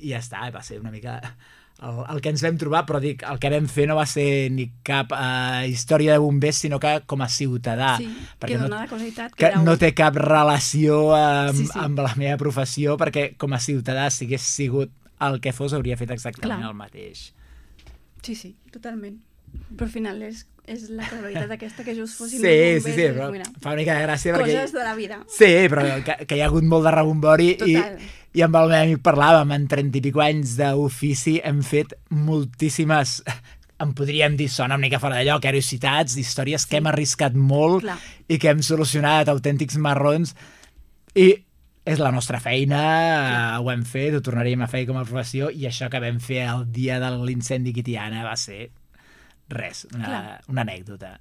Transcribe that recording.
ja està, va ser una mica el que ens vam trobar, però dic, el que vam fer no va ser ni cap història de bombers, sinó que com a ciutadà. Sí, perquè que dona la casualitat que era no té cap relació Sí. amb la meva professió, perquè com a ciutadà, si hagués sigut el que fos, hauria fet exactament Clar. el mateix. Sí, totalment. Però al final és la casualitat aquesta que just fossin Sí, bombers. però fa una mica de gràcia perquè... Coses de la vida. Sí, però que hi ha hagut molt de rebombori i amb el meu amic parlàvem, en 30 i pico anys d'ofici hem fet moltíssimes, en podríem dir, sona una mica fora de lloc, curiositats, històries que hem arriscat molt i que hem solucionat autèntics marrons i és la nostra feina, ho hem fet, ho tornaríem a fer com a professió i això que vam fer el dia de l'incendi a Tiana va ser res, una anècdota.